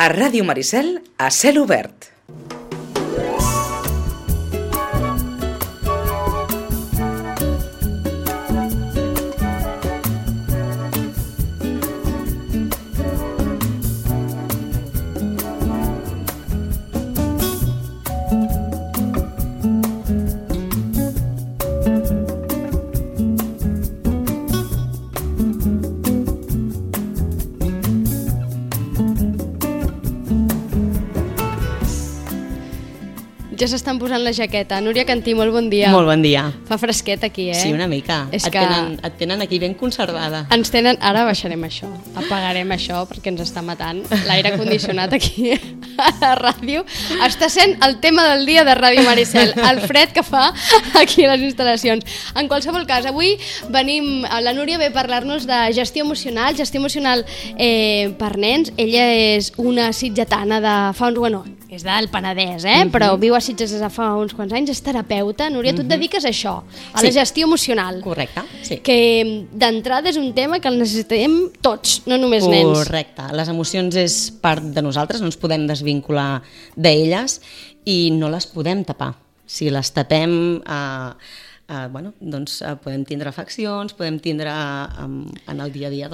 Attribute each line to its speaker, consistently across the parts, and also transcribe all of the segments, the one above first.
Speaker 1: A Ràdio Maricel, a cel obert.
Speaker 2: Ja s'estan posant la jaqueta. Núria Cantí, molt bon dia.
Speaker 3: Molt bon dia.
Speaker 2: Fa fresquet aquí,
Speaker 3: Sí, una mica. Et tenen aquí ben conservada.
Speaker 2: Ens tenen... Ara baixarem això, apagarem això perquè ens està matant. L'aire condicionat aquí a la ràdio està sent el tema del dia de Ràdio Maricel, el fred que fa aquí a les instal·lacions. En qualsevol cas, avui venim... La Núria ve a parlar-nos de gestió emocional per nens. Ella és una sitgetana de fa uns... Bueno, és del Penedès, però viu a Sitges des de fa uns quants anys, és terapeuta. Núria, tu et dediques a això, a la gestió emocional.
Speaker 3: Correcte, sí.
Speaker 2: Que d'entrada és un tema que el necessitem tots, no només nens.
Speaker 3: Correcte, les emocions és part de nosaltres, no ens podem desvincular d'elles i no les podem tapar. Si les tapem, doncs podem tindre afeccions, podem tindre en el dia a dia,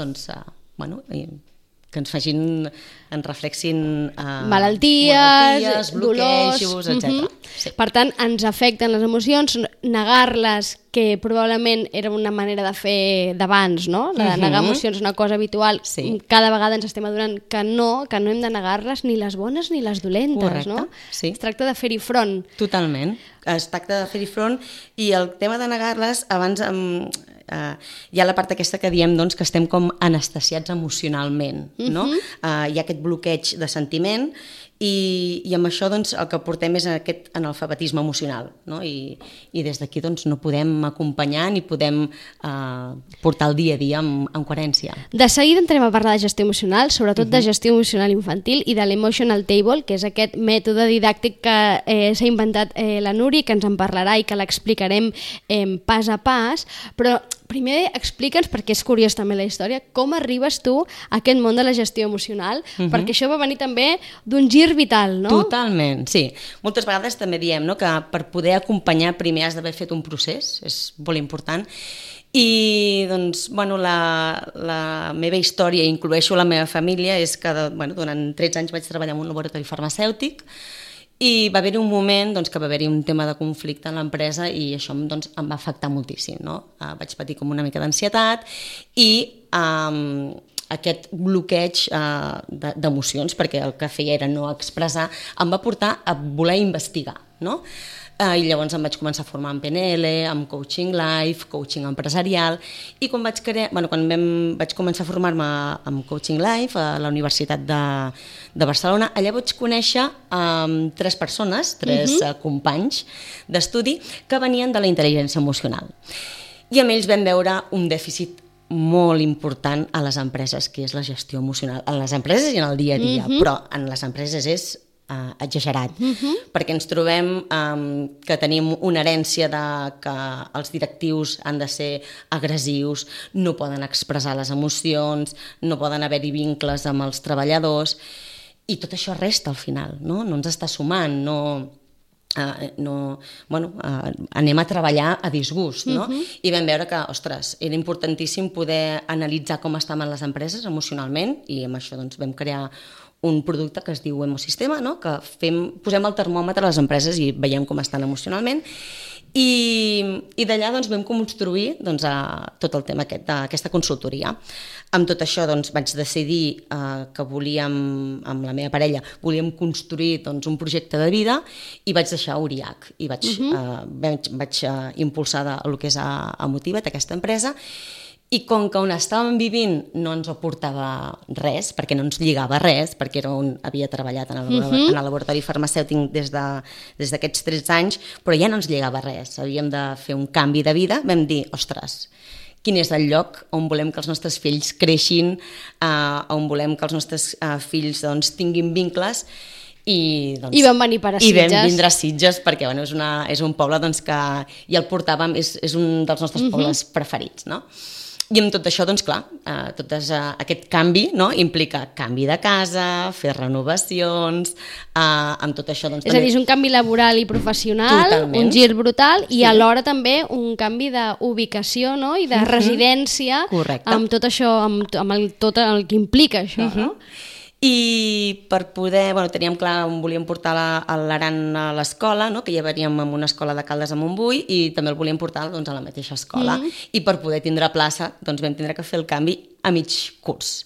Speaker 3: que ens facin, ens reflexin
Speaker 2: malalties,
Speaker 3: bloquejos, etc.
Speaker 2: Sí. Per tant, ens afecten les emocions, negar-les, que probablement era una manera de fer d'abans, no? La de negar emocions és una cosa habitual. Sí. Cada vegada ens estem adonant que no hem de negar-les, ni les bones ni les dolentes. Correcte. No?
Speaker 3: Sí.
Speaker 2: Es tracta de fer-hi front.
Speaker 3: Totalment. Es tracta de fer-hi front i el tema de negar-les, abans hi ha la part aquesta que diem doncs, que estem com anestesiats emocionalment, no? Hi ha aquest bloqueig de sentiment i amb això doncs, el que portem és aquest analfabetisme emocional, no? I des d'aquí doncs, no podem acompanyar ni podem portar el dia a dia amb coherència.
Speaker 2: De seguida entrem a parlar de gestió emocional, sobretot de gestió emocional infantil i de l'Emotional Table, que és aquest mètode didàctic que s'ha inventat la Núria, que ens en parlarà i que l'explicarem pas a pas, però primer explica'ns, perquè és curiós també la història, com arribes tu a aquest món de la gestió emocional, perquè això va venir també d'un gir vital, no?
Speaker 3: Totalment, sí. Moltes vegades també diem que per poder acompanyar primer has d'haver fet un procés, és molt important, i doncs, la meva història, incloeixo la meva família, és que durant 13 anys vaig treballar en un laboratori farmacèutic i va haver-hi un moment que va haver-hi un tema de conflicte en l'empresa i això em va afectar moltíssim, no? Vaig patir com una mica d'ansietat i aquest bloqueig d'emocions, perquè el que feia era no expressar, em va portar a voler investigar, no? I llavors em vaig començar a formar en PNL, amb coaching life, coaching empresarial, i quan vaig començar a formar-me amb coaching life a la Universitat de Barcelona, allà vaig conèixer 3 persones, 3 companys d'estudi que venien de la intel·ligència emocional. I amb ells vam veure un dèficit molt important a les empreses, que és la gestió emocional. En les empreses i en el dia a dia, però en les empreses és exagerat, perquè ens trobem que tenim una herència de que els directius han de ser agressius, no poden expressar les emocions, no poden haver-hi vincles amb els treballadors, i tot això resta al final, no ens està sumant, anem a treballar a disgust, no? I vam veure que, ostres, era importantíssim poder analitzar com estaven les empreses emocionalment, i amb això doncs vam crear un producte que es diu Emosistema, no? Que posem el termòmetre a les empreses i veiem com estan emocionalment, i d'allà doncs, vam construir tot el tema d'aquesta consultoria. Amb tot això vaig decidir que volíem, amb la meva parella, volíem construir un projecte de vida i vaig deixar Uriac i vaig impulsar el que és Emotiva't, aquesta empresa. I com que on estàvem vivint no ens aportava res, perquè no ens lligava res, perquè havia treballat en el laboratori farmacèutic des d'aquests 13 anys, però ja no ens lligava res, havíem de fer un canvi de vida, vam dir, ostres, quin és el lloc on volem que els nostres fills creixin, on volem que els nostres fills tinguin vincles, i
Speaker 2: vam venir per a Sitges.
Speaker 3: I vam vindre a Sitges perquè és un poble que ja el portàvem, és un dels nostres pobles preferits, no? I amb tot això, doncs clar, aquest canvi, no, implica canvi de casa, fer renovacions, amb tot això... Doncs,
Speaker 2: és a dir, és un canvi laboral i professional, totalment. Un gir brutal, i alhora també un canvi d'ubicació, no?, i de residència.
Speaker 3: Correcte.
Speaker 2: Amb tot això, amb tot el que implica això, no?
Speaker 3: I per poder, teníem clar on volíem portar l'Aran a l'escola, no? Que ja veníem en una escola de Caldes a Montbui i també el volíem portar doncs, a la mateixa escola. I per poder tindre plaça doncs, vam tindre que fer el canvi a mig curs.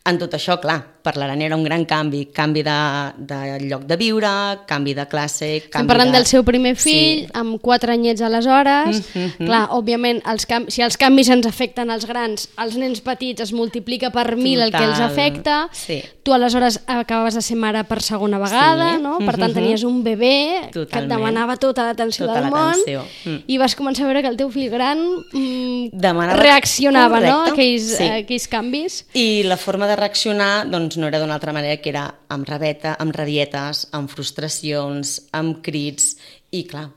Speaker 3: En tot això, clar, per l'Aran era un gran canvi de lloc de viure, canvi de classe...
Speaker 2: Estem parlant del seu primer fill, amb 4 anyets aleshores. Clar, òbviament, si els canvis ens afecten als grans, als nens petits es multiplica per 1000 el que els afecta. Tu aleshores acabaves de ser mare per segona vegada, no? Per tant, tenies un bebè que et demanava tota l'atenció del món i vas començar a veure que el teu fill gran reaccionava, no? A aquells canvis.
Speaker 3: I la forma de reaccionar doncs, no era d'una altra manera, que era amb rabietes, amb frustracions, amb crits, i clar...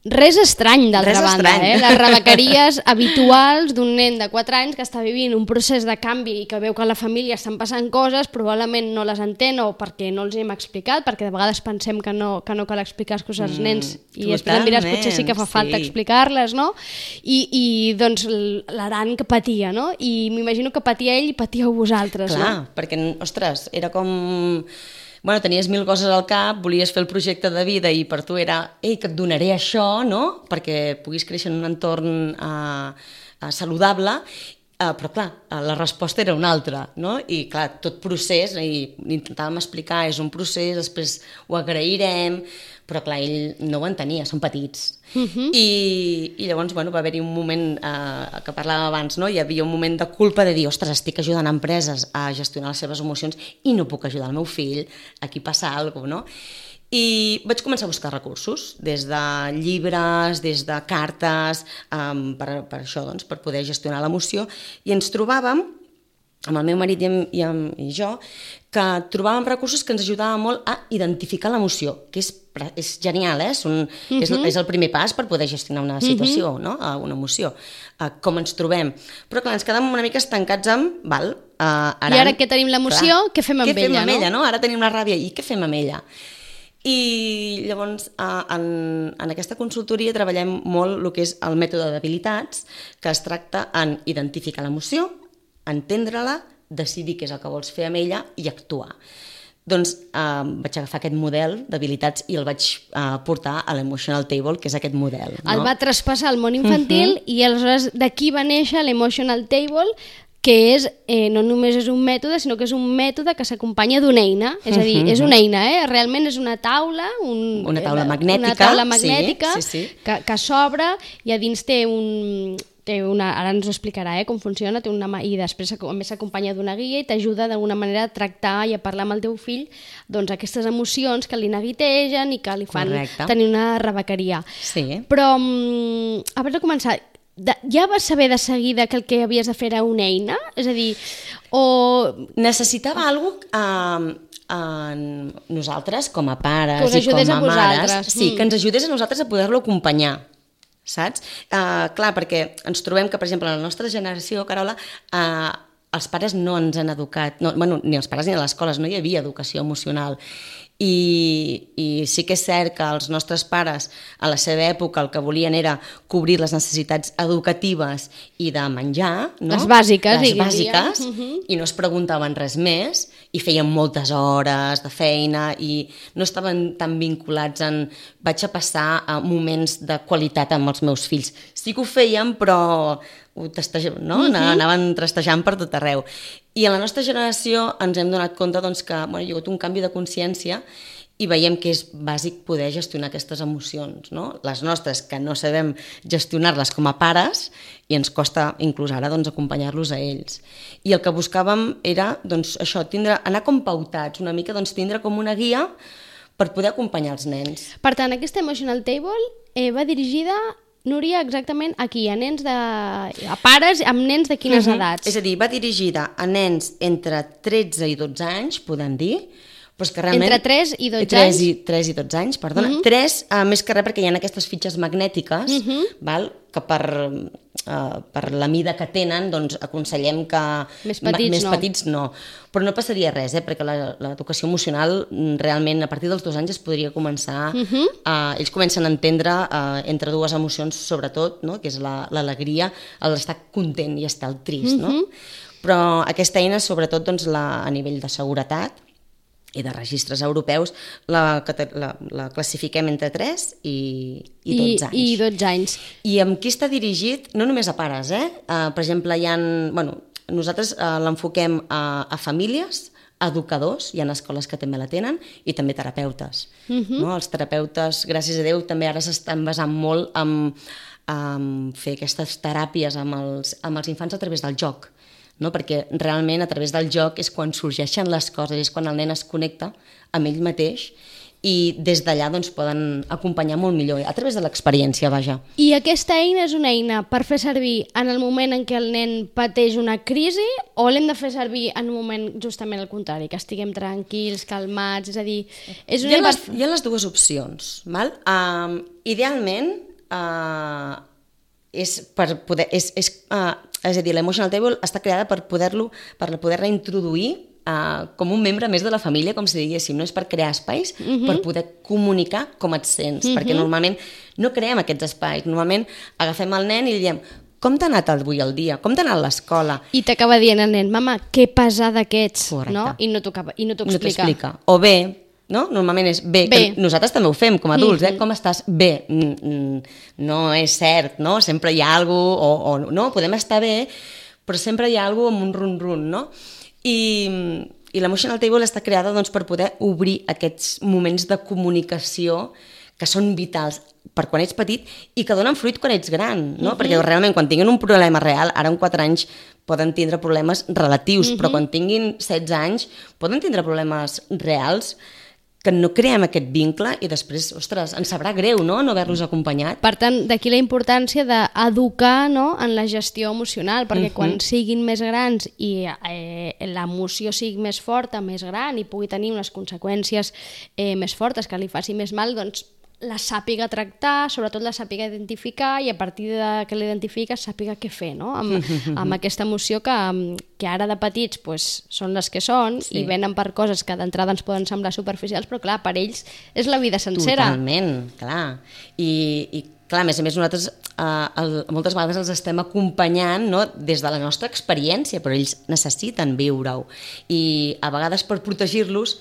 Speaker 2: Res estrany, d'altra banda, les rebequeries habituals d'un nen de 4 anys que està vivint un procés de canvi i que veu que a la família estan passant coses, probablement no les entén o perquè no els hem explicat, perquè de vegades pensem que no cal explicar les coses als nens i després em diràs potser sí que fa falta explicar-les, no? I doncs l'Aran que patia, no? I m'imagino que patia ell i patíeu vosaltres, no?
Speaker 3: Clar, perquè, ostres, era com... tenies 1000 coses al cap, volies fer el projecte de vida i per tu era, que et donaré això, no?, perquè puguis créixer en un entorn saludable, però clar, la resposta era una altra, no? I clar, tot procés, i intentàvem explicar, és un procés, després ho agrairem, però clar, ell no ho entenia, són petits. I llavors va haver-hi un moment que parlàvem abans, no? Hi havia un moment de culpa de dir, ostres, estic ajudant empreses a gestionar les seves emocions i no puc ajudar el meu fill, aquí passa alguna cosa, no? I vaig començar a buscar recursos, des de llibres, des de cartes, per això, doncs, per poder gestionar l'emoció, i ens trobàvem, amb el meu marit i jo, que trobàvem recursos que ens ajudaven molt a identificar l'emoció, que és genial, és el primer pas per poder gestionar una situació, no? Una emoció, com ens trobem. Però clar, ens quedàvem una mica estancats amb,
Speaker 2: i ara que tenim l'emoció, què fem amb ella,
Speaker 3: no? Ara tenim la ràbia, i què fem amb ella? I llavors en aquesta consultoria treballem molt el que és el mètode d'habilitats, que es tracta en identificar l'emoció, entendre-la, decidir què és el que vols fer amb ella i actuar. Doncs vaig agafar aquest model d'habilitats i el vaig portar a l'Emotional Table, que és aquest model.
Speaker 2: El va traspassar al món infantil i aleshores d'aquí va néixer l'Emotional Table, que no només és un mètode, sinó que és un mètode que s'acompanya d'una eina. És a dir, és una eina, realment és una taula...
Speaker 3: Una taula magnètica,
Speaker 2: que s'obre i a dins té ara ens ho explicarà com funciona, i després a més s'acompanya d'una guia i t'ajuda d'alguna manera a tractar i a parlar amb el teu fill aquestes emocions que li neguitegen i que li fan tenir una rebequeria. Però abans de començar, ja vas saber de seguida que el que havies de fer era una eina? És a dir,
Speaker 3: necessitava alguna cosa nosaltres com a pares i com a mares, que ens ajudés a nosaltres a poder-lo acompanyar, saps? Clar, perquè ens trobem que, per exemple, en la nostra generació, Carola, els pares no ens han educat, ni els pares ni a les escoles, no hi havia educació emocional. I sí que és cert que els nostres pares a la seva època el que volien era cobrir les necessitats educatives i de menjar, no?
Speaker 2: Les bàsiques,
Speaker 3: i no es preguntaven res més i feien moltes hores de feina i no estaven tan vinculats en vaig a passar a moments de qualitat amb els meus fills. Sí que ho feien, però anaven trastejant per tot arreu. I en la nostra generació ens hem donat compte que hi ha hagut un canvi de consciència i veiem que és bàsic poder gestionar aquestes emocions, no? Les nostres, que no sabem gestionar-les com a pares i ens costa inclús ara acompanyar-los a ells. I el que buscàvem era això, anar com pautats una mica, tindre com una guia per poder acompanyar els nens.
Speaker 2: Per tant, aquesta Emotional Table va dirigida, Núria, exactament aquí, a pares amb nens de quines edats?
Speaker 3: És a dir, va dirigida a nens entre 13 i 12 anys, podem dir, Però és que realment...
Speaker 2: Entre 3 i 12 anys?
Speaker 3: 3 i 12 anys, perdona. 3, més que res perquè hi ha aquestes fitxes magnètiques, val? Que per la mida que tenen, doncs aconsellem que...
Speaker 2: Més
Speaker 3: petits no. Però no passaria res, perquè l'educació emocional realment a partir dels 2 anys es podria començar... ells comencen a entendre entre dues emocions, sobretot, no? Que és l'alegria, l'estar content i estar trist, no? Però aquesta eina, sobretot doncs, a nivell de seguretat i de registres europeus, la classifiquem entre 3 i 12 anys.
Speaker 2: I 12 anys.
Speaker 3: I amb qui està dirigit? No només a pares, per exemple, nosaltres l'enfoquem a famílies, educadors, hi ha escoles que també la tenen, i també terapeutes. No? Els terapeutes, gràcies a Déu, també ara s'estan basant molt en fer aquestes teràpies amb els infants a través del joc. No? Perquè realment a través del joc és quan sorgeixen les coses, és quan el nen es connecta amb ell mateix i des d'allà doncs, poden acompanyar molt millor, a través de l'experiència, vaja.
Speaker 2: I aquesta eina és una eina per fer servir en el moment en què el nen pateix una crisi o l'hem de fer servir en un moment justament al contrari, que estiguem tranquils, calmats, és a dir...
Speaker 3: Hi ha les dues opcions, val? Idealment és per poder... És a dir, l'Emotional Table està creada per poder-la introduir com un membre més de la família, com si diguéssim, no és per crear espais, per poder comunicar com et sents, perquè normalment no creem aquests espais, normalment agafem el nen i li diem com t'ha anat avui el dia, com t'ha anat l'escola?
Speaker 2: I t'acaba dient el nen, mama, que pesada que ets, no? I no t'ho explica.
Speaker 3: O bé, no? Normalment és bé, que nosaltres també ho fem com a adults, com estàs? Bé, no és cert, no? Sempre hi ha alguna cosa, o no, podem estar bé, però sempre hi ha alguna cosa amb un run-run, no? I l'Emotional Table està creada doncs, per poder obrir aquests moments de comunicació que són vitals per quan ets petit i que donen fruit quan ets gran, no? Perquè realment quan tinguin un problema real, ara en 4 anys poden tindre problemes relatius, però quan tinguin 16 anys poden tindre problemes reals que no creem aquest vincle i després, ostres, ens sabrà greu, no haver-los acompanyat.
Speaker 2: Per tant, d'aquí la importància d'educar, no?, en la gestió emocional, perquè quan siguin més grans i l'emoció sigui més forta, més gran i pugui tenir unes conseqüències més fortes, que li faci més mal, doncs la sàpiga tractar, sobretot la sàpiga identificar i a partir de que l'identifica sàpiga què fer, no? Amb aquesta emoció que ara de petits pues, són les que són i venen per coses que d'entrada ens poden semblar superficials, però clar, per ells és la vida sencera.
Speaker 3: Totalment, clar. I clar, a més nosaltres moltes vegades els estem acompanyant, no? Des de la nostra experiència, però ells necessiten viure-ho. I a vegades per protegir-los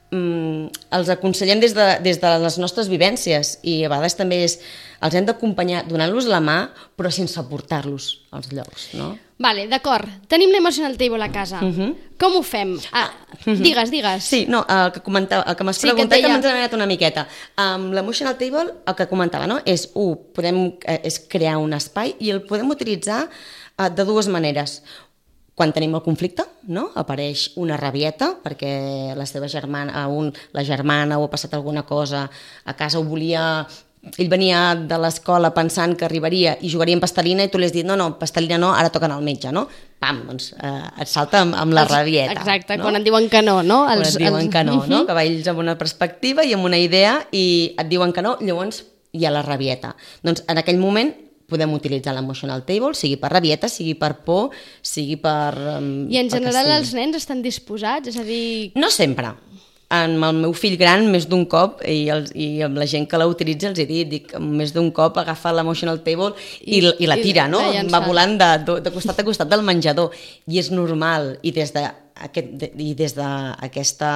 Speaker 3: els aconsellem des de les nostres vivències i a vegades també els hem d'acompanyar donant-los la mà però sense portar-los als llocs, no?
Speaker 2: Vale, d'acord. Tenim l'Emotional Table a casa. Com ho fem? Digues.
Speaker 3: Sí, no, el que m'has preguntat que m'ha anat una miqueta. L'Emotional Table, el que comentava, no? És crear un espai i el podem utilitzar de dues maneres. Quan tenim el conflicte, no? Apareix una rabieta perquè la germana o ha passat alguna cosa a casa, ell venia de l'escola pensant que arribaria i jugaria amb pastelina i tu li has dit no, pastelina no, ara toquen al metge, no? Pam, doncs et salta amb la rabieta.
Speaker 2: Exacte, no? Quan et diuen que no, no?
Speaker 3: Quan et diuen que no, no? Que va ells amb una perspectiva i amb una idea i et diuen que no, llavors hi ha la rabieta. Doncs en aquell moment podem utilitzar l'Emotional Table, sigui per rabieta, sigui per por, sigui per...
Speaker 2: I en general els nens estan disposats? És a dir...
Speaker 3: No sempre. Amb el meu fill gran, més d'un cop, i amb la gent que la utilitza els he dit, més d'un cop agafa l'Emotional Table i la tira, no? Va volant de costat a costat del menjador. I és normal. I des d'aquesta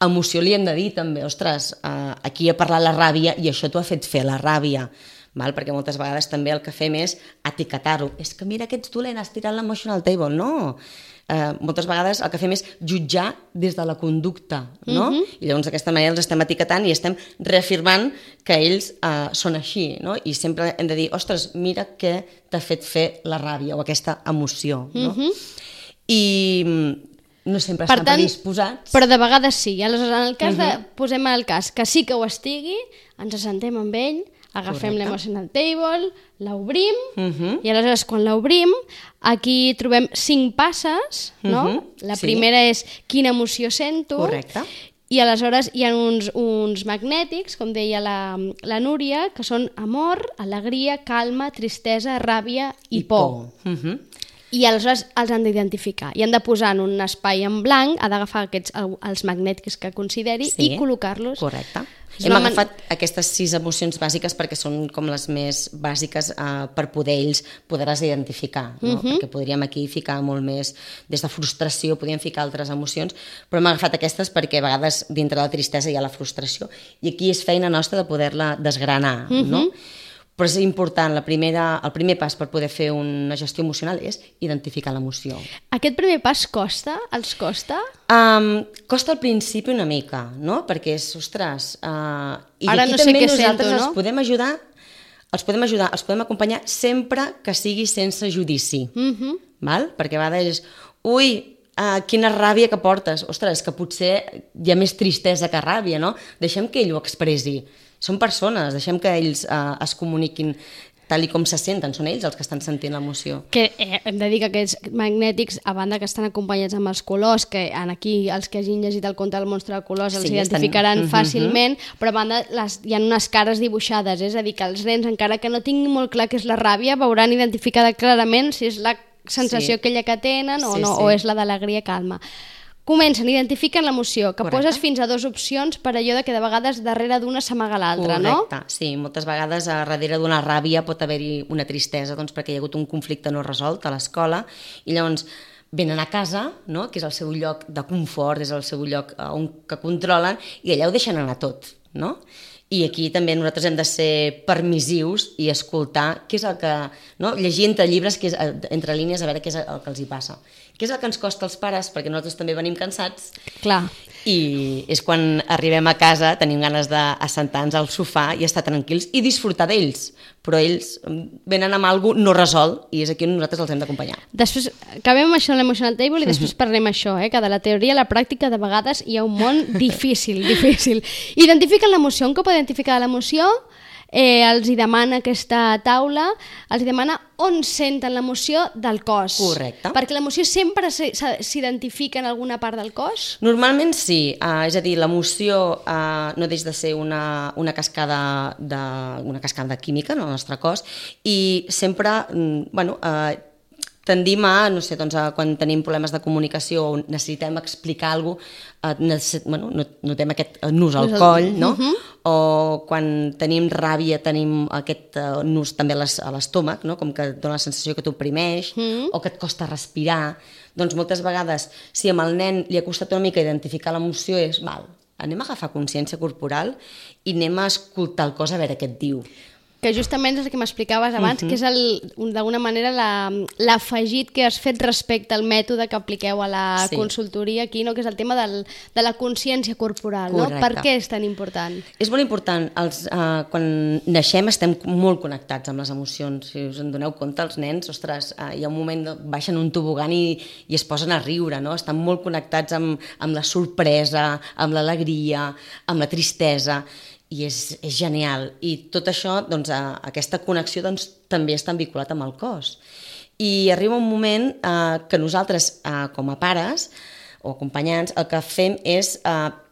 Speaker 3: emoció li hem de dir també, ostres, aquí ha parlat la ràbia i això t'ho ha fet fer la ràbia. Perquè moltes vegades també el que fem és etiquetar-ho. És que mira que ets dolent, has tirat l'Emotional Table. No, moltes vegades el que fem és jutjar des de la conducta, no? I llavors d'aquesta manera els estem etiquetant i estem reafirmant que ells són així, no? I sempre hem de dir, ostres, mira què t'ha fet fer la ràbia o aquesta emoció, no? I no sempre estan predisposats.
Speaker 2: Però de vegades sí. Aleshores, en el cas posem el cas que sí que ho estigui, ens assentem amb ell, Agafem
Speaker 3: Correcte.
Speaker 2: l'emotional table, l'obrim, i aleshores quan l'obrim, aquí trobem 5 passes, no? La
Speaker 3: sí.
Speaker 2: primera és quina emoció sento,
Speaker 3: Correcte.
Speaker 2: i aleshores hi ha uns magnètics, com deia la Núria, que són amor, alegria, calma, tristesa, ràbia i por. I aleshores els han d'identificar. I han de posar en un espai en blanc, ha d'agafar els magnètics que consideri i col·locar-los.
Speaker 3: Correcte. Hem agafat aquestes 6 emocions bàsiques perquè són com les més bàsiques per poder ells poder-les identificar, no? Perquè podríem aquí ficar molt més, des de frustració podríem ficar altres emocions, però hem agafat aquestes perquè a vegades dintre de la tristesa hi ha la frustració i aquí és feina nostra de poder-la desgranar, no? Però és important, el primer pas per poder fer una gestió emocional és identificar l'emoció.
Speaker 2: Aquest primer pas costa? Els costa?
Speaker 3: Costa al principi una mica, no? Perquè és, ostres... I
Speaker 2: ara
Speaker 3: aquí
Speaker 2: no sé
Speaker 3: també
Speaker 2: què
Speaker 3: nosaltres
Speaker 2: sento, no?
Speaker 3: els podem ajudar, els podem acompanyar sempre que sigui sense judici. Val? Perquè a vegades és... Ui, quina ràbia que portes. Ostres, que potser hi ha més tristesa que ràbia, no? Deixem que ell ho expressi. Són persones, deixem que ells es comuniquin tal i com se senten, són ells els que estan sentint l'emoció.
Speaker 2: Que hem de dir que aquests magnètics, a banda que estan acompanyats amb els colors, que aquí els que hagin llegit el conte del monstre de colors els identificaran fàcilment, però a banda hi ha unes cares dibuixades, és a dir, que els nens, encara que no tinguin molt clar què és la ràbia, veuran identificada clarament si és la sensació aquella que tenen o no, o és la d'alegria calma. Comencen, identifiquen l'emoció, que poses fins a 2 opcions per allò de que de vegades darrere d'una s'amaga l'altra, no?
Speaker 3: Correcte, sí, moltes vegades darrere d'una ràbia pot haver-hi una tristesa, doncs perquè hi ha hagut un conflicte no resolt a l'escola i llavors venen a casa, no? Que és el seu lloc de confort, és el seu lloc que controlen i allà ho deixen anar tot, no? I aquí també nosaltres hem de ser permissius i escoltar què és el que... No? Llegir entre llibres, entre línies, a veure què és el que els hi passa. Què és el que ens costa als pares, perquè nosaltres també venim cansats.
Speaker 2: Clar.
Speaker 3: I és quan arribem a casa, tenim ganes d'assentar-nos al sofà i estar tranquils i disfrutar d'ells. Però ells venen amb alguna cosa no resolt i és aquí on nosaltres els hem d'acompanyar.
Speaker 2: Després, acabem amb això l'Emotional Table i després parlem això, que de la teoria a la pràctica de vegades hi ha un món difícil. Identifiquen l'emoció, un cop identificada l'emoció, els hi demana aquesta taula, els hi demana on senten l'emoció del cos.
Speaker 3: Correcte.
Speaker 2: Perquè l'emoció sempre s'identifica en alguna part del cos?
Speaker 3: Normalment sí, és a dir, l'emoció no deixa de ser una cascada de química en el nostre cos i sempre, tendim a, no sé, doncs, quan tenim problemes de comunicació o necessitem explicar alguna cosa, notem aquest nus al coll, no? O quan tenim ràbia tenim aquest nus també a l'estómac, no? Com que et dona la sensació que t'oprimeix o que et costa respirar. Doncs moltes vegades, si amb el nen li ha costat una mica identificar l'emoció, és, anem a agafar consciència corporal i anem a escoltar el cos a veure què et diu.
Speaker 2: Que justament és el que m'explicaves abans, que és d'alguna manera l'afegit que has fet respecte al mètode que apliqueu a la consultoria aquí, no? Que és el tema de la consciència corporal. No? Per què és tan important? És
Speaker 3: molt important. Quan naixem estem molt connectats amb les emocions. Si us en doneu compte, els nens, ostres, hi ha un moment, baixen un tobogan i es posen a riure, no? Estan molt connectats amb la sorpresa, amb l'alegria, amb la tristesa, i és genial. I tot això, doncs, aquesta connexió doncs, també està vinculat amb el cos. I arriba un moment que nosaltres, com a pares o acompanyants, el que fem és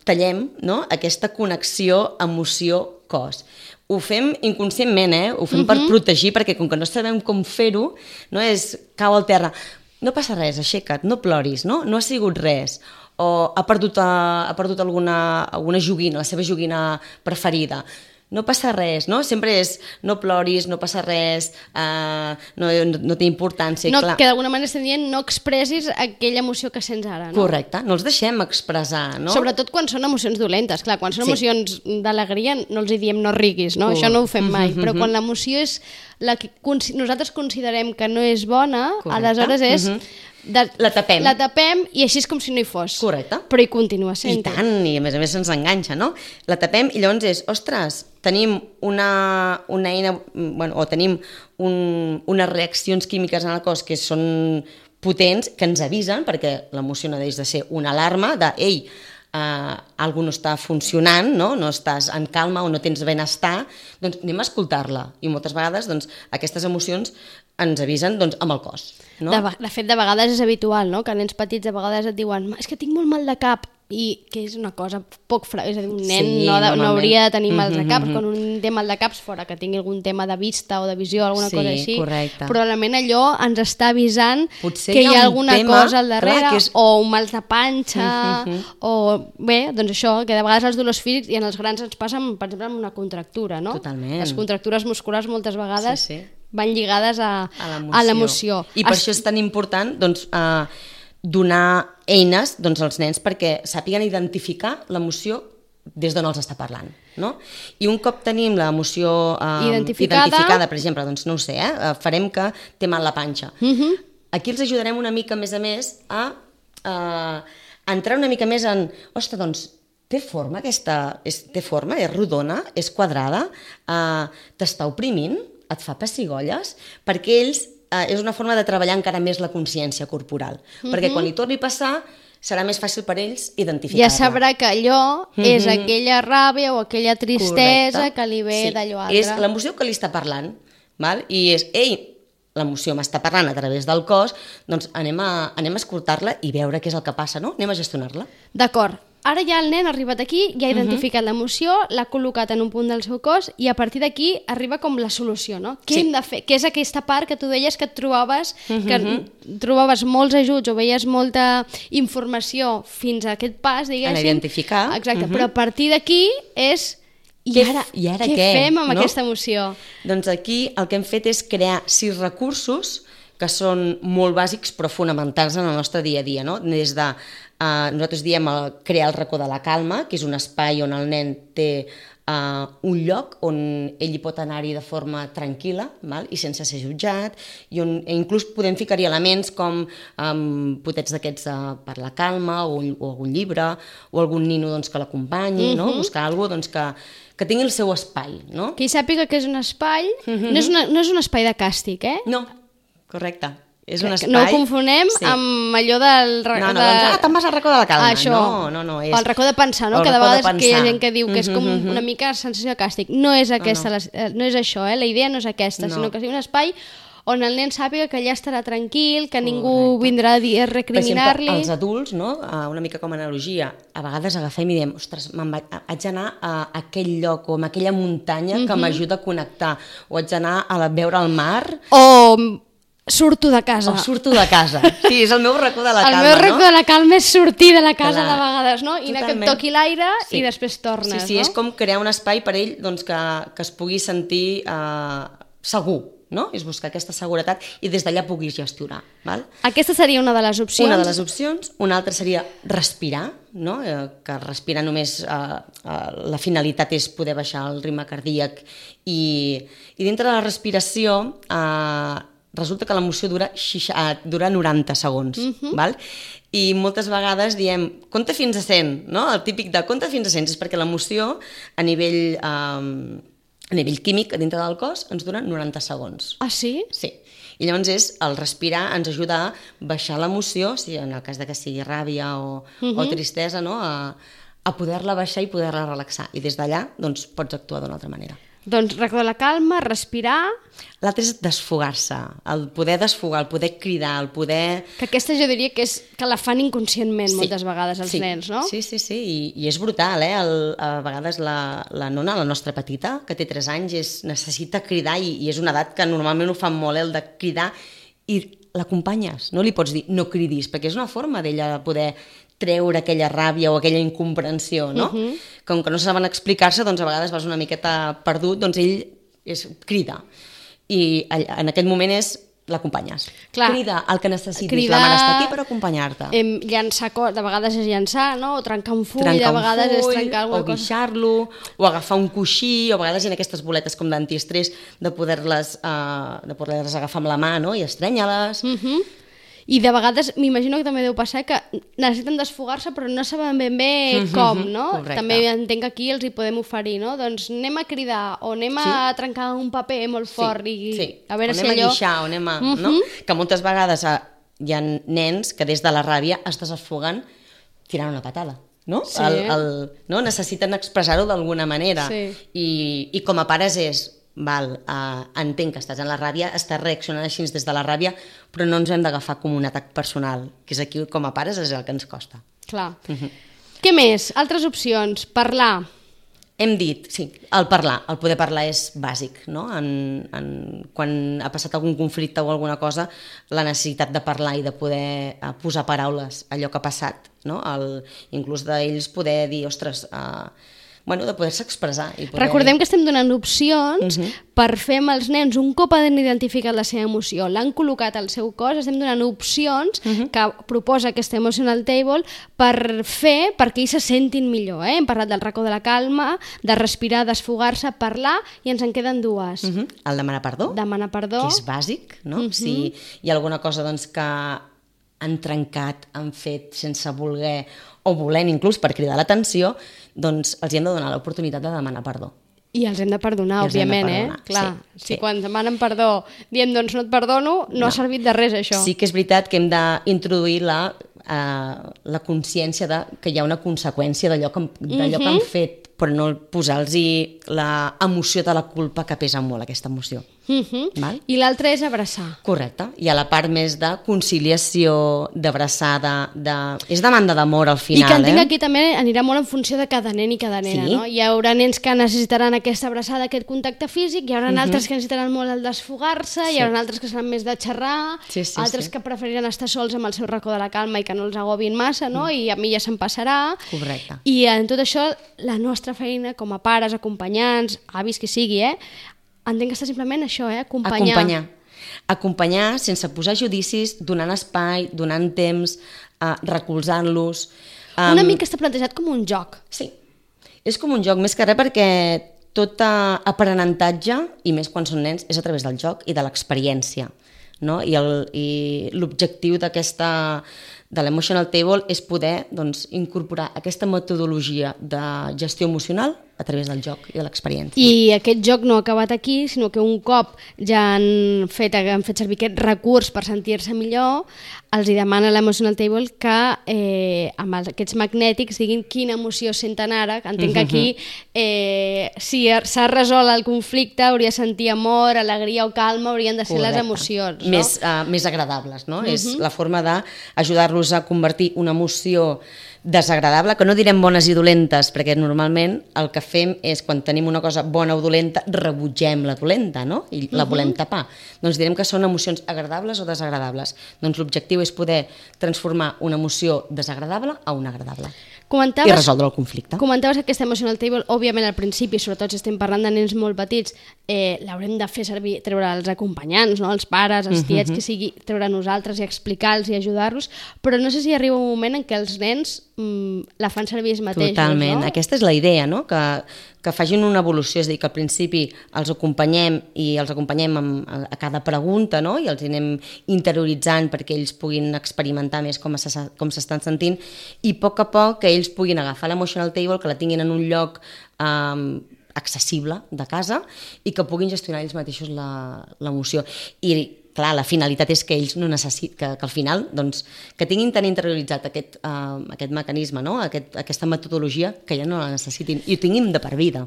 Speaker 3: tallem, no? Aquesta connexió emoció-cos. Ho fem inconscientment, ho fem per protegir, perquè com que no sabem com fer-ho, no és cau al terra. No passa res, aixeca't, no ploris, no ha sigut res. O ha perdut alguna joguina, la seva joguina preferida. No passa res, no? Sempre és no ploris, no passa res, no té importància.
Speaker 2: No, que d'alguna manera estem dient no expressis aquella emoció que sents ara, no?
Speaker 3: Correcte, no els deixem expressar, no?
Speaker 2: Sobretot quan són emocions dolentes, clar, quan són emocions d'alegria no els hi diem no riguis, no? Això no ho fem mai, però quan l'emoció és la que nosaltres considerem que no és bona, aleshores és...
Speaker 3: La tapem.
Speaker 2: La tapem i així és com si no hi fos.
Speaker 3: Correcte.
Speaker 2: Però hi continua sent.
Speaker 3: I tant, i a més se'ns enganxa, no? La tapem i llavors és, ostres, tenim una eina, o tenim unes reaccions químiques en el cos que són potents, que ens avisen, perquè l'emoció no deixa de ser una alarma de, ei, algú no està funcionant, no estàs en calma o no tens benestar, doncs anem a escoltar-la. I moltes vegades doncs, aquestes emocions ens avisen doncs, amb el cos. No?
Speaker 2: De fet, de vegades és habitual, no? Que nens petits de vegades et diuen és que tinc molt mal de cap, i que és una cosa poc és a dir, un nen no hauria de tenir mal de cap, quan un té mal de caps fora que tingui algun tema de vista o de visió, alguna cosa així,
Speaker 3: correcte.
Speaker 2: Probablement allò ens està avisant
Speaker 3: potser
Speaker 2: que hi ha alguna cosa al darrere,
Speaker 3: clar,
Speaker 2: o un mal de panxa, o bé, doncs això, que de vegades els dolors físics i en els grans ens passen, per exemple, amb una contractura, no?
Speaker 3: Totalment.
Speaker 2: Les contractures musculars moltes vegades
Speaker 3: sí.
Speaker 2: van lligades a l'emoció.
Speaker 3: I per això és tan important doncs, donar eines doncs, als nens perquè sàpiguen identificar l'emoció des d'on els està parlant. No? I un cop tenim l'emoció identificada, per exemple, doncs no ho sé, farem que té mal la panxa. Aquí els ajudarem una mica més a més a entrar una mica més en, ostres, doncs, té forma aquesta, té forma, és rodona, és quadrada, t'està oprimint, et fa pessigolles, perquè ells és una forma de treballar encara més la consciència corporal, perquè quan li torni a passar serà més fàcil per ells identificar-la.
Speaker 2: Ja sabrà que allò és aquella ràbia o aquella tristesa que li ve d'allò altre.
Speaker 3: És l'emoció que li està parlant, val? I és, l'emoció m'està parlant a través del cos, doncs anem a escoltar-la i veure què és el que passa, no? Anem a gestionar-la.
Speaker 2: D'acord. Ara ja el nen ha arribat aquí, ja ha identificat l'emoció, l'ha col·locat en un punt del seu cos i a partir d'aquí arriba com la solució, no? Què hem de fer? Què és aquesta part que tu deies que et trobaves, que trobaves molts ajuts o veies molta informació fins a aquest pas, diguéssim.
Speaker 3: En identificar.
Speaker 2: Exacte, però a partir d'aquí és... I ara què fem amb aquesta emoció?
Speaker 3: Doncs aquí el que hem fet és crear 6 recursos que són molt bàsics però fonamentals en el nostre dia a dia, no? Des de nosaltres diem crear el racó de la calma, que és un espai on el nen té un lloc on ell hi pot anar-hi de forma tranquil·la, val? I sense ser jutjat, i on inclús podem ficar-hi elements com potets d'aquests per la calma o algun llibre o algun nino doncs, que l'acompanyi, no? Buscar alguna cosa doncs, que tingui el seu espai. No?
Speaker 2: Que hi sàpiga que és un espai, no és un espai de càstig,
Speaker 3: No, correcte. És un espai...
Speaker 2: No ho confonem amb allò del...
Speaker 3: te'n vas al racó de la calma.
Speaker 2: Això,
Speaker 3: no.
Speaker 2: El racó de pensar, no? Que de vegades que hi ha gent que diu que és com una mica sensació de càstig. No és aquesta, no és això, la idea no és aquesta, sinó que sigui un espai on el nen sàpiga que allà estarà tranquil, que ningú vindrà a recriminar-li.
Speaker 3: Per exemple, els adults, no? Una mica com a analogia, a vegades agafem i diem, ostres, haig d'anar a aquell lloc o a aquella muntanya que m'ajuda a connectar, o haig d'anar a veure el mar...
Speaker 2: O surto de casa.
Speaker 3: O surto de casa. Sí, és el meu racó de la calma, no?
Speaker 2: El meu racó de la calma és sortir de la casa de vegades, no? I anar que et toqui l'aire i després tornes,
Speaker 3: Sí, és com crear un espai per ell doncs, que es pugui sentir segur, no? És buscar aquesta seguretat i des d'allà puguis gestionar. Val?
Speaker 2: Aquesta seria una de les opcions.
Speaker 3: Una de les opcions. Una altra seria respirar, no? Que respirar només la finalitat és poder baixar el ritme cardíac i dintre de la respiració resulta que l'emoció dura 90 segons, val? I moltes vegades diem compta fins a 100, no? El típic de compta fins a 100 és perquè l'emoció a nivell químic dintre del cos ens dura 90 segons.
Speaker 2: Ah, sí?
Speaker 3: Sí. I llavors el respirar ens ajuda a baixar l'emoció, si en el cas de que sigui ràbia o tristesa, no? A poder-la baixar i poder-la relaxar. I des d'allà doncs, pots actuar d'una altra manera.
Speaker 2: Doncs recordar la calma, respirar...
Speaker 3: L'altre és desfogar-se, el poder desfogar, el poder cridar, el poder...
Speaker 2: Que aquesta jo diria que és que la fan inconscientment moltes vegades els nens, no?
Speaker 3: Sí, i és brutal, a vegades la nona, la nostra petita, que té 3 anys, necessita cridar i és una edat que normalment ho fan molt, el de cridar, i l'acompanyes, no li pots dir no cridis, perquè és una forma d'ella de poder treure aquella ràbia o aquella incomprensió, no? Com que no saben explicar-se, doncs a vegades vas una miqueta perdut, doncs ell crida. I en aquest moment l'acompanyes. Crida el que necessitis, la mare està aquí per acompanyar-te.
Speaker 2: Llançar, de vegades és llançar, no? O trencar un full, de vegades és trencar alguna cosa.
Speaker 3: O guixar-lo, o agafar un coixí, o a vegades hi ha aquestes boletes com d'antiestrès de poder-les agafar amb la mà, no? I estrènyer-les.
Speaker 2: I de vegades m'imagino que també deu passar que necessiten desfogar-se però no saben ben bé com, no?
Speaker 3: Correcte.
Speaker 2: També entenc que aquí els hi podem oferir, no? Doncs anem a cridar o anem a trencar un paper molt fort i a veure si allò...
Speaker 3: O anem a guixar, o anem a... no? Que moltes vegades hi ha nens que des de la ràbia es desfoguen tirant una patada. no?
Speaker 2: Sí.
Speaker 3: No? Necessiten expressar-ho d'alguna manera.
Speaker 2: Sí.
Speaker 3: I com a pares és, entenc que estàs en la ràbia, estàs reaccionant així des de la ràbia, però no ens hem d'agafar com un atac personal, que és aquí, com a pares, és el que ens costa.
Speaker 2: Clar. Què més? Altres opcions. Parlar.
Speaker 3: Hem dit, sí, el parlar, el poder parlar és bàsic, no? Quan ha passat algun conflicte o alguna cosa, la necessitat de parlar i de poder posar paraules a allò que ha passat, no? Inclús d'ells poder dir, ostres, de poder-se expressar. I poder...
Speaker 2: Recordem que estem donant opcions per fer amb els nens, un cop han identificat la seva emoció, l'han col·locat al seu cos, estem donant opcions que proposa aquesta Emotional Table per fer perquè ells se sentin millor. Hem parlat del racó de la calma, de respirar, desfogar-se, parlar, i ens en queden dues.
Speaker 3: El demanar perdó.
Speaker 2: Demanar perdó.
Speaker 3: Que és bàsic, no? Si hi ha alguna cosa que han trencat, han fet sense voler o volent inclús per cridar l'atenció, doncs els hem de donar l'oportunitat de demanar perdó.
Speaker 2: I els hem de perdonar, òbviament, Clar, si quan demanen perdó diem doncs no et perdono, no ha servit de res això.
Speaker 3: Sí que és veritat que hem d'introduir la consciència que hi ha una conseqüència d'allò que han fet, però no posar-los l'emoció de la culpa, que pesa molt aquesta emoció. Val?
Speaker 2: I l'altre és abraçar.
Speaker 3: Correcte. Hi ha la part més de conciliació, d'abraçada, és demanda d'amor al final.
Speaker 2: I que entenc que aquí també anirà molt en funció de cada nen i cada nena, no? Hi haurà nens que necessitaran aquesta abraçada, aquest contacte físic, hi haurà altres que necessitaran molt el desfogar-se, hi haurà altres que seran més de xerrar, altres que preferiran estar sols amb el seu racó de la calma i que no els agobin massa, no? I a mi ja se'm passarà.
Speaker 3: Correcte.
Speaker 2: I en tot això, la nostra feina com a pares, acompanyants, avis, qui sigui, entenc que està simplement això, acompanyar.
Speaker 3: Acompanyar sense posar judicis, donant espai, donant temps, recolzant-los.
Speaker 2: Una mica està plantejat com un joc.
Speaker 3: Sí, és com un joc, més que res perquè tot aprenentatge, i més quan són nens, és a través del joc i de l'experiència. No? I l'objectiu de l'Emotional Table és poder incorporar aquesta metodologia de gestió emocional a través del joc i de l'experiència. I
Speaker 2: aquest joc no ha acabat aquí, sinó que un cop ja han fet servir aquest recurs per sentir-se millor, els hi demana l'Emotional Table que amb aquests magnètics diguin quina emoció senten ara. Entenc que aquí, si s'ha resolt el conflicte, hauria de sentir amor, alegria o calma, haurien de ser les emocions. No?
Speaker 3: Més agradables, no? És la forma d'ajudar-los a convertir una emoció desagradable, que no direm bones i dolentes, perquè normalment el que fem és, quan tenim una cosa bona o dolenta, rebutgem la dolenta, no? I la volem tapar. Doncs direm que són emocions agradables o desagradables. Doncs l'objectiu és poder transformar una emoció desagradable a una agradable. I resoldre el conflicte.
Speaker 2: Comentaves que aquesta Emotional Table, òbviament al principi, sobretot si estem parlant de nens molt petits, l'haurem de fer servir, treure els acompanyants, no? Els pares, els tiets, que sigui, treure nosaltres i explicar-los i ajudar-los, però no sé si arriba un moment en què els nens la fan servir ells mateixos.
Speaker 3: Totalment,
Speaker 2: no?
Speaker 3: Aquesta és la idea, no? Que facin una evolució, és a dir, que al principi els acompanyem a cada pregunta, no? I els anem interioritzant perquè ells puguin experimentar més com s'estan sentint, i a poc que ells puguin agafar l'Emotional Table, que la tinguin en un lloc accessible de casa i que puguin gestionar ells mateixos l'emoció. I clar, la finalitat és que ells no necessiten, que al final, doncs, que tinguin tan interioritzat aquest mecanisme, no? Aquesta metodologia, que ja no la necessitin i ho tinguin de per vida.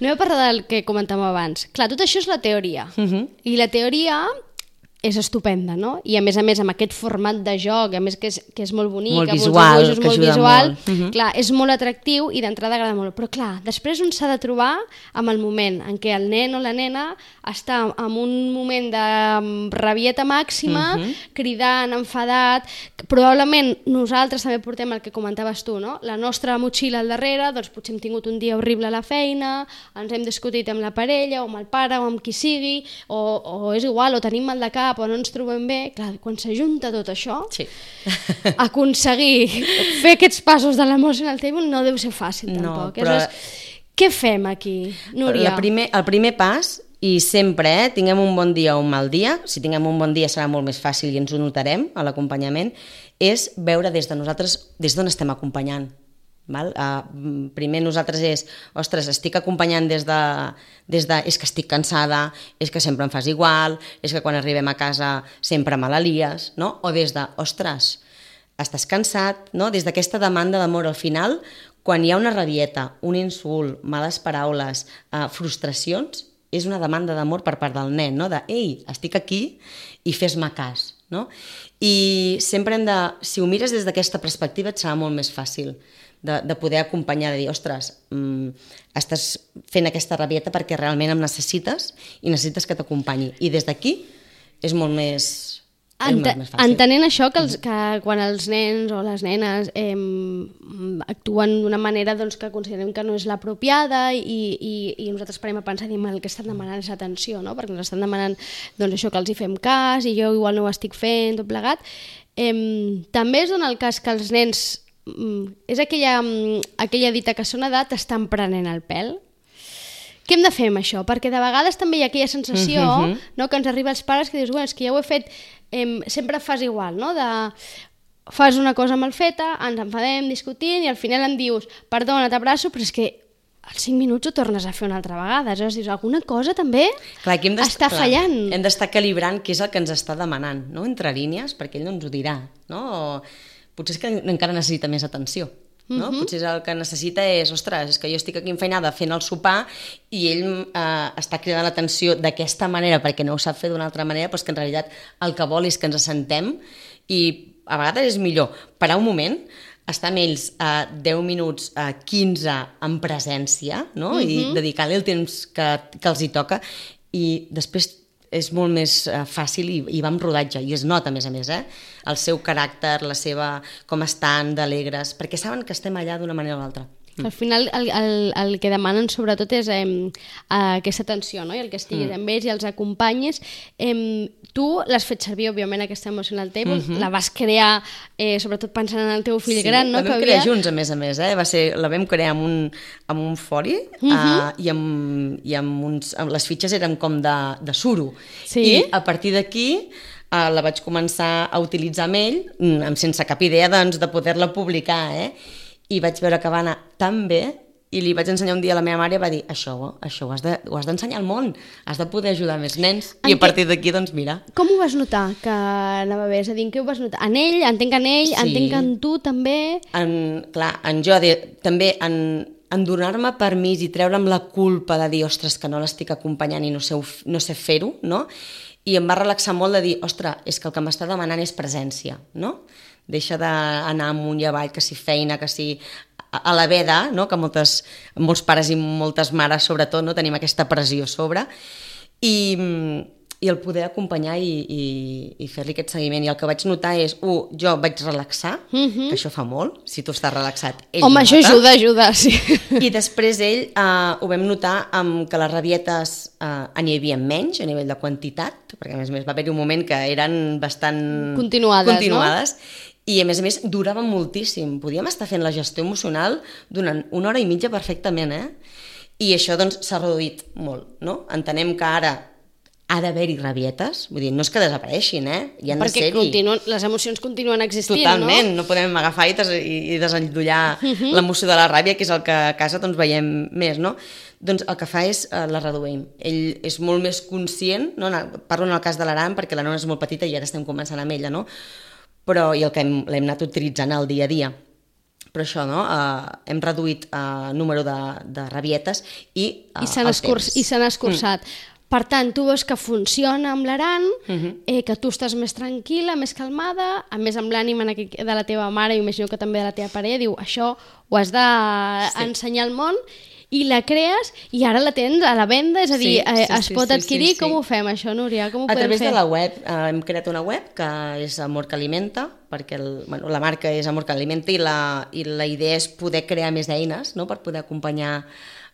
Speaker 2: No he parlat del que comentàvem abans. Clar, tot això és la teoria. I la teoria és estupenda, no? I a més, amb aquest format de joc, a més que és molt bonic,
Speaker 3: molt visual, que ajuda molt.
Speaker 2: Clar, és molt atractiu i d'entrada agrada molt. Però clar, després un s'ha de trobar amb el moment en què el nen o la nena està en un moment de rabieta màxima, cridant, enfadat. Probablement nosaltres també portem el que comentaves tu, no? La nostra motxilla al darrere, doncs potser hem tingut un dia horrible a la feina, ens hem discutit amb la parella o amb el pare o amb qui sigui, o és igual, o tenim mal de cap, o no ens trobem bé. Clar, quan s'ajunta tot això, aconseguir fer aquests passos de l'Emotional Table no deu ser fàcil, tampoc. Però... Què fem aquí, Núria?
Speaker 3: El primer pas, i sempre tinguem un bon dia o un mal dia, si tinguem un bon dia serà molt més fàcil i ens ho notarem a l'acompanyament, és veure des de nosaltres, des d'on estem acompanyant. Primer nosaltres és, ostres, estic acompanyant des de és que estic cansada, és que sempre em fas igual, és que quan arribem a casa sempre me la lies, no? O des de, ostres, estàs cansat, no? Des d'aquesta demanda d'amor al final, quan hi ha una rabieta, un insult, males paraules, frustracions, és una demanda d'amor per part del nen, no? De, ei, estic aquí i fes-me cas, no? I sempre hem de, si ho mires des d'aquesta perspectiva, et serà molt més fàcil de poder acompanyar, de dir, ostres, estàs fent aquesta rabieta perquè realment em necessites i necessites que t'acompanyi. I des d'aquí és molt més fàcil.
Speaker 2: Entenent això, que quan els nens o les nenes actuen d'una manera doncs, que considerem que no és l'apropiada i nosaltres parem a pensar, diem, el que estan demanant és atenció, no? Perquè ens estan demanant doncs, això, que els hi fem cas i jo igual no ho estic fent, tot plegat. També es dona el cas que els nens, és aquella dita que sona de t'estan prenent el pèl. Què hem de fer amb això? Perquè de vegades també hi ha aquella sensació no, que ens arriba als pares que dius, bueno, és que ja ho he fet, sempre fas igual, no? Fas una cosa mal feta, ens enfadem, discutim i al final em dius, perdona, t'abraço, però és que als 5 minuts ho tornes a fer una altra vegada. Aleshores dius, alguna cosa també està fallant.
Speaker 3: Hem d'estar calibrant què és el que ens està demanant, no? Entre línies, perquè ell no ens ho dirà, no? Potser és que encara necessita més atenció. No? Potser el que necessita és, ostres, és que jo estic aquí enfeinada fent el sopar i ell està cridant l'atenció d'aquesta manera perquè no ho sap fer d'una altra manera, però és que en realitat el que vol és que ens assentem i a vegades és millor parar un moment, estar amb ells 10 minuts, 15 en presència, no? I dedicar-li el temps que els hi toca i després és molt més fàcil i va amb rodatge, i es nota a més, el seu caràcter, la seva, com estan, d'alegres, perquè saben que estem allà d'una manera o l'altra.
Speaker 2: Al final el que demanen sobretot és aquesta atenció, no? I el que estiguis amb ells i els acompanyis. Tu l'has fet servir, òbviament, aquesta Emotional Table, la vas crear sobretot pensant en el teu fill gran, no?
Speaker 3: Sí, la vam crear junts, a més, la vam crear amb un foli i amb les fitxes eren com de suro. I a partir d'aquí la vaig començar a utilitzar amb ell, sense cap idea de poder-la publicar, i vaig veure que va anar tan bé i li vaig ensenyar un dia a la meva mare i va dir, això ho has d'ensenyar al món, has de poder ajudar més nens. I a partir d'aquí, doncs mira.
Speaker 2: Com ho vas notar que anava bé? És a dir, en què ho vas notar? En ell, entenc en tu també?
Speaker 3: Clar, en jo també en donar-me permís i treure'm la culpa de dir, ostres, que no l'estic acompanyant i no sé fer-ho, no? I em va relaxar molt de dir, ostres, és que el que m'està demanant és presència, no? Deixa d'anar amunt i avall, que si feina, que si a la veda, no? Que molts pares i moltes mares, sobretot, no? Tenim aquesta pressió a sobre, i el poder acompanyar i fer-li aquest seguiment. I el que vaig notar és, jo vaig relaxar, que això fa molt, si tu estàs relaxat, ell
Speaker 2: home, això ajuda, sí.
Speaker 3: I després ell ho vam notar que les rabietes n'hi havia menys, a nivell de quantitat, perquè a més va haver-hi un moment que eren bastant
Speaker 2: continuades, no?
Speaker 3: I a més durava moltíssim. Podíem estar fent la gestió emocional durant 1 hora i mitja perfectament, I això doncs s'ha reduït molt, no? Entenem que ara ha d'haver-hi rabietes, vull dir, no és que desapareixin, hi han de ser-hi.
Speaker 2: Perquè les emocions continuen existint,
Speaker 3: totalment, no podem agafar i desendollar l'emoció de la ràbia, que és el que a casa doncs veiem més, no? Doncs el que fa és la reduïm. Ell és molt més conscient, no? Parlo en el cas de l'Aran perquè la nona és molt petita i ara estem començant amb ella, no? Però i el que l'hem anat utilitzant al dia a dia. Però això, no? Hem reduït el número de rabietes i el temps.
Speaker 2: I s'han escurçat. Per tant, tu veus que funciona amb l'Aran, que tu estàs més tranquil·la, més calmada, a més amb l'ànima de la teva mare, i imagino que també de la teva parella, diu, això ho has d'ensenyar al món, i la crees i ara la tens a la venda, és a dir, es pot adquirir. Com ho fem això, Núria? Com ho podem fer?
Speaker 3: A través de la web, hem creat una web que és Amor que Alimenta, perquè la marca és Amor que Alimenta i la idea és poder crear més eines, no?, per poder acompanyar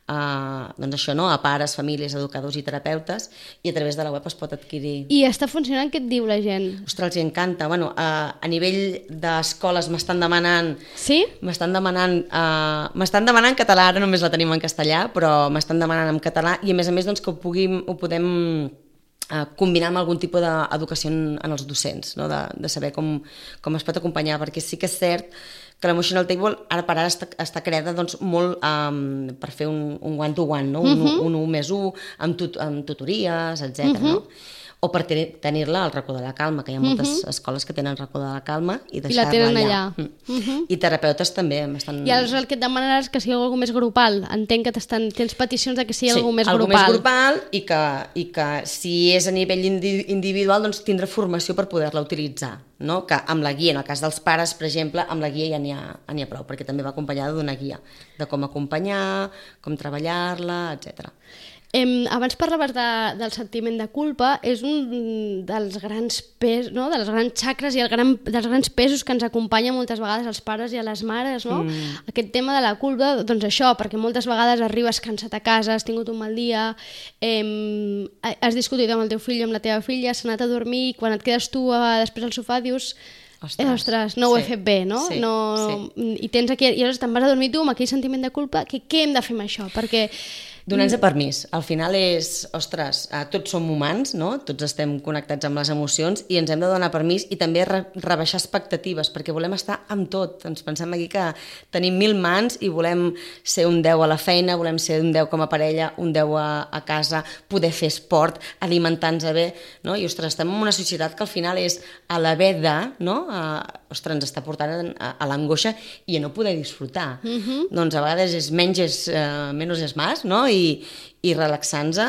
Speaker 3: doncs això, no?, a pares, famílies, educadors i terapeutes, i a través de la web es pot adquirir.
Speaker 2: I està funcionant? Què et diu la gent?
Speaker 3: Ostres, els encanta. Bueno, a nivell d'escoles m'estan demanant...
Speaker 2: Sí?
Speaker 3: M'estan demanant en català, ara només la tenim en castellà, però m'estan demanant en català, i a més doncs que ho podem combinar amb algun tipus d'educació en els docents, no? De saber com es pot acompanyar, perquè sí que és cert que l'Emotional Table ara per ara està creada doncs, molt per fer un one-to-one, no? Un 1+1, amb tutories, etc. No? o per tenir-la al racó de la calma, que hi ha moltes escoles que tenen el racó de la calma i
Speaker 2: la
Speaker 3: deixar-la
Speaker 2: tenen
Speaker 3: allà.
Speaker 2: allà.
Speaker 3: I terapeutes també estan...
Speaker 2: I aleshores el que et demanaràs que sigui algú més grupal. Entenc que tens peticions de que sigui algú més
Speaker 3: algú
Speaker 2: grupal.
Speaker 3: més grupal i que si és a nivell individual doncs tindrà formació per poder-la utilitzar, no? Que amb la guia, en el cas dels pares, per exemple, amb la guia ja n'hi ha prou, perquè també va acompanyada d'una guia de com acompanyar, com treballar-la, etc.
Speaker 2: Abans parlaves del sentiment de culpa, és un dels grans pesos, no? De les grans xacres i dels grans pesos que ens acompanya moltes vegades als pares i a les mares, no? Aquest tema de la culpa, doncs això, perquè moltes vegades arribes cansat a casa, has tingut un mal dia, has discutit amb el teu fill o amb la teva filla, has anat a dormir i quan et quedes tu després al sofà dius ostres, no ho he fet bé, no?
Speaker 3: Sí.
Speaker 2: I tens aquí, i llavors te'n vas a dormir tu amb aquell sentiment de culpa, què hem de fer amb això? Perquè
Speaker 3: donar-nos permís. Al final és, ostres, tots som humans, no? Tots estem connectats amb les emocions i ens hem de donar permís i també rebaixar expectatives, perquè volem estar amb tot. Ens pensem aquí que tenim 1000 mans i volem ser un 10 a la feina, volem ser un 10 com a parella, un 10 a casa, poder fer esport, alimentar-nos bé, no? I, ostres, estem en una societat que al final és a l'haver de, no? Ostres, ens està portant a l'angoixa i a no poder disfrutar. Doncs a vegades és menys és més, no? I relaxant-se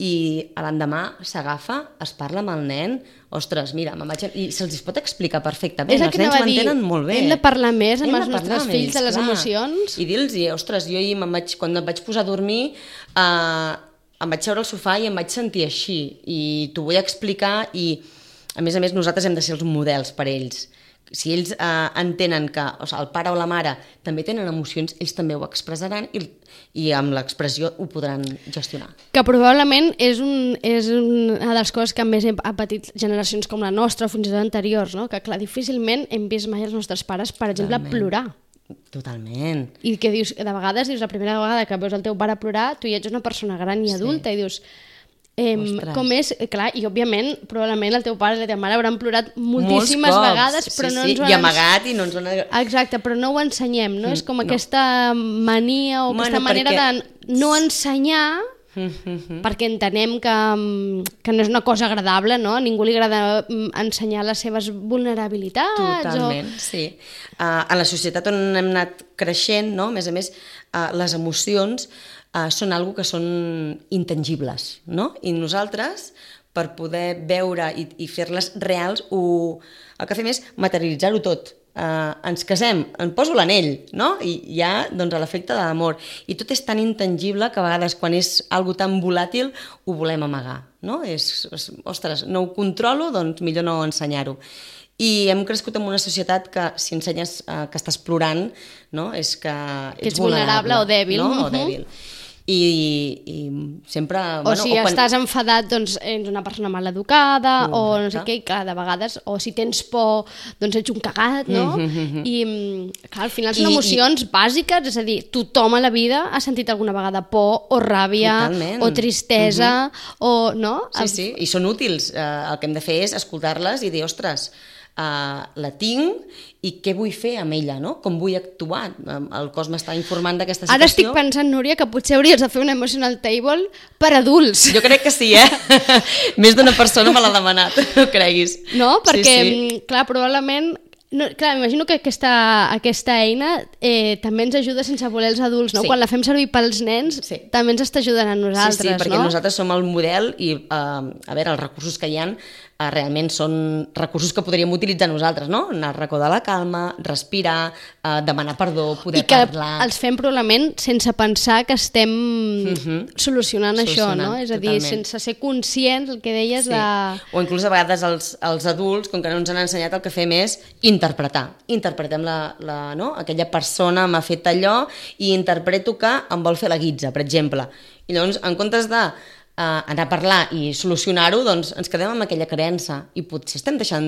Speaker 3: i l'endemà s'agafa, es parla amb el nen, ostres, mira, i se'ls pot explicar perfectament, els nens ho entenen molt bé.
Speaker 2: Hem de parlar més amb els nostres fills de les emocions.
Speaker 3: I dir-los, ostres, jo quan em vaig posar a dormir em vaig seure al sofà i em vaig sentir així i t'ho vull explicar i a més nosaltres hem de ser els models per ells. Si ells entenen que el pare o la mare també tenen emocions, ells també ho expressaran i amb l'expressió ho podran gestionar.
Speaker 2: Que probablement és una de les coses que més ha patit generacions com la nostra o fins i tot anteriors, no? Que clar, difícilment hem vist mai els nostres pares, per exemple, plorar.
Speaker 3: Totalment.
Speaker 2: I que dius, de vegades dius, la primera vegada que veus el teu pare plorar, tu ja ets una persona gran i adulta i dius... com és, clar, i òbviament probablement el teu pare i la teva mare hauran plorat moltíssimes vegades, però no ens ho han...
Speaker 3: I amagat i no ens ho han...
Speaker 2: Exacte, però no ho ensenyem, no? És com aquesta mania o aquesta manera de no ensenyar perquè entenem que no és una cosa agradable, no? A ningú li agrada ensenyar les seves vulnerabilitats.
Speaker 3: Totalment, sí. A la societat on hem anat creixent, no? A més, les emocions són algo que són intangibles, no? I nosaltres, per poder veure i fer-les reals, el que fem és materialitzar-ho tot. Ens casem, em poso l'anell, no? I hi ha doncs, l'efecte de l'amor. I tot és tan intangible que a vegades quan és algo tan volàtil ho volem amagar, no? Ostres, no ho controlo, doncs millor no ensenyar-ho. I hem crescut en una societat que si ensenyes que estàs plorant, no? És que ets
Speaker 2: vulnerable o dèbil.
Speaker 3: No? O dèbil. I sempre...
Speaker 2: O si estàs enfadat, doncs ets una persona mal educada, o no sé què, i clar, de vegades, o si tens por, doncs ets un cagat, no? I clar, al final són emocions bàsiques, és a dir, tothom a la vida ha sentit alguna vegada por, o ràbia, o tristesa, o... no?
Speaker 3: Sí, i són útils. El que hem de fer és escoltar-les i dir, ostres, la tinc i què vull fer amb ella, no? Com vull actuar? El cos m'està informant d'aquesta situació.
Speaker 2: Ara estic pensant, Núria, que potser hauries de fer un emotional table per adults.
Speaker 3: Jo crec que sí, Més d'una persona me l'ha demanat, no creguis.
Speaker 2: No? Perquè, clar, probablement... No, clar, m'imagino que aquesta eina també ens ajuda sense voler els adults, no? Quan la fem servir pels nens també ens està ajudant a nosaltres,
Speaker 3: no? Sí, perquè nosaltres som el model i, a veure, els recursos que hi ha realment són recursos que podríem utilitzar nosaltres, no? Anar al racó de la calma, respirar, demanar perdó, poder parlar...
Speaker 2: I que els fem probablement sense pensar que estem solucionant això, no? És a dir, sense ser conscients, el que deies de...
Speaker 3: O inclús a vegades els adults, com que no ens han ensenyat, el que fem és interpretar. Interpretem no? Aquella persona m'ha fet allò i interpreto que em vol fer la guitza, per exemple. I llavors, en comptes de anar a parlar i solucionar-ho, doncs ens quedem amb aquella creença i potser estem deixant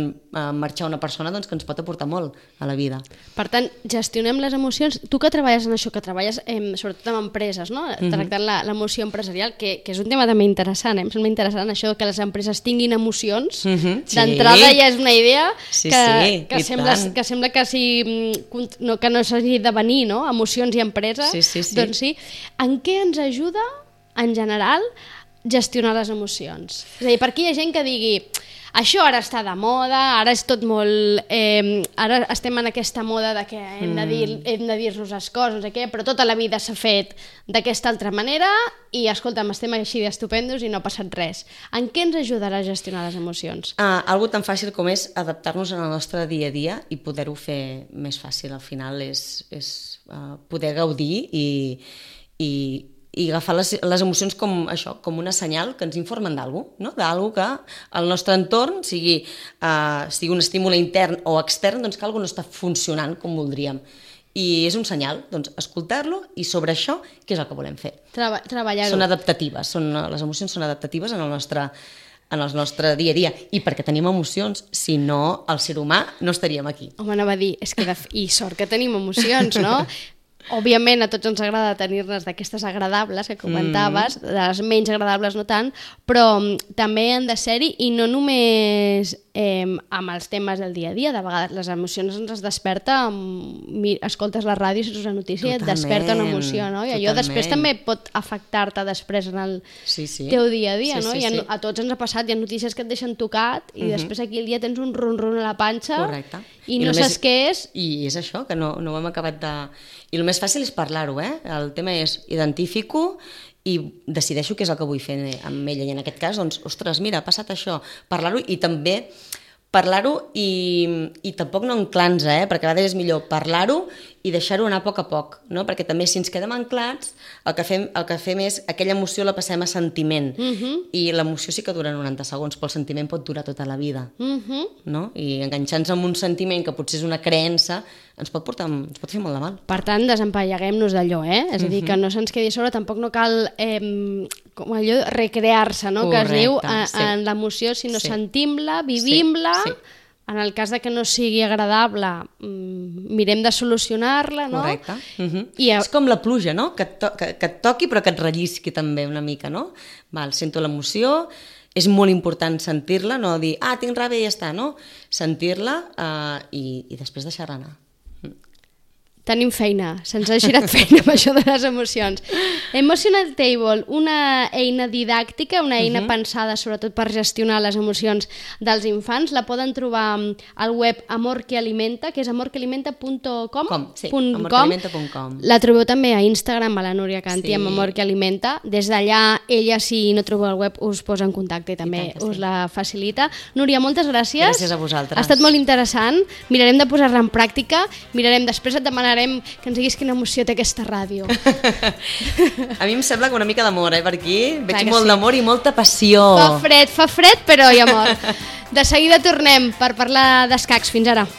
Speaker 3: marxar una persona doncs, que ens pot aportar molt a la vida.
Speaker 2: Per tant, gestionem les emocions. Tu que treballes en això, que treballes sobretot amb empreses, no? Tractant l'emoció empresarial, que és un tema també interessant, em sembla interessant això que les empreses tinguin emocions. D'entrada ja és una idea que sembla que no s'hagi de venir, no? Emocions i empresa. Doncs sí. En què ens ajuda, en general, gestionar les emocions? És a dir, per aquí hi ha gent que digui això ara està de moda, ara és tot molt... ara estem en aquesta moda de que hem de dir-nos les coses, no sé què, però tota la vida s'ha fet d'aquesta altra manera i, escolta'm, estem així d'estupendos i no ha passat res. En què ens ajudarà a gestionar les emocions?
Speaker 3: Algo tan fàcil com és adaptar-nos al nostre dia a dia i poder-ho fer més fàcil. Al final és poder gaudir i agafar les emocions com això, com una senyal que ens informen d'algú, no? D'algú que el nostre entorn, sigui un estímul intern o extern, doncs que alguna no està funcionant com voldríem. I és un senyal, doncs, escoltar-lo i sobre això, què és el que volem fer?
Speaker 2: Treballar-ho.
Speaker 3: Són adaptatives, les emocions són adaptatives en el nostre dia a dia. I perquè tenim emocions, si no, el ser humà no estaríem aquí.
Speaker 2: Home, anava a dir, és que i sort que tenim emocions, no? Òbviament a tots ens agrada tenir-les d'aquestes agradables que comentaves, de les menys agradables no tant, però també han de ser-hi i no només amb els temes del dia a dia. De vegades les emocions ens desperta, escoltes la ràdio, saps una notícia i et desperta una emoció, no? I allò després també pot afectar-te després en el teu dia a dia, no? A tots ens ha passat, hi ha notícies que et deixen tocat i després aquí el dia tens un ron-ron a la panxa i no saps què és.
Speaker 3: I és això, que no ho hem acabat de... I el més fàcil és parlar-ho, El tema és identifico i decideixo què és el que vull fer amb ella. I en aquest cas, doncs, ostres, mira, ha passat això. Parlar-ho i també parlar-ho i tampoc no anclar-nos, perquè a vegades és millor parlar-ho i deixar-ho anar a poc, no? Perquè també si ens quedem anclats, el que fem és aquella emoció la passem a sentiment i l'emoció sí que dura 90 segons, però el sentiment pot durar tota la vida, no? I enganxar-nos amb un sentiment que potser és una creença ens pot fer molt de mal.
Speaker 2: Per tant, desempalleguem-nos d'allò, És a dir, que no se'ns quedi a sobre, tampoc no cal com allò recrear-se, no? Que es diu en l'emoció, sinó sentim-la, vivim-la. En el cas de que no sigui agradable, mirem de solucionar-la, no?
Speaker 3: Correcte. És com la pluja, no? Que et toqui però que et rellisqui també una mica, no? Sento l'emoció, és molt important sentir-la, no dir, tinc ràbia i ja està, no? Sentir-la i després deixar-la anar.
Speaker 2: Tenim feina, se'ns ha girat feina amb això de les emocions. Emotional Table, una eina didàctica, una eina pensada sobretot per gestionar les emocions dels infants. La poden trobar al web Amor que Alimenta, que és amorquealimenta.com.
Speaker 3: Sí, amorquealimenta.com.
Speaker 2: La trobeu també a Instagram, a la Núria Canti, amb Amor que Alimenta. Des d'allà, ella, si no trobeu el web, us posa en contacte i també us la facilita. Núria, moltes gràcies.
Speaker 3: Gràcies a vosaltres.
Speaker 2: Ha estat molt interessant. Mirarem de posar-la en pràctica. Després et demanarem que ens diguis quina emoció té aquesta ràdio.
Speaker 3: A mi em sembla que una mica d'amor, per aquí. Veig molt d'amor i molta passió.
Speaker 2: Fa fred, però hi ha amor. De seguida tornem per parlar d'escacs. Fins ara.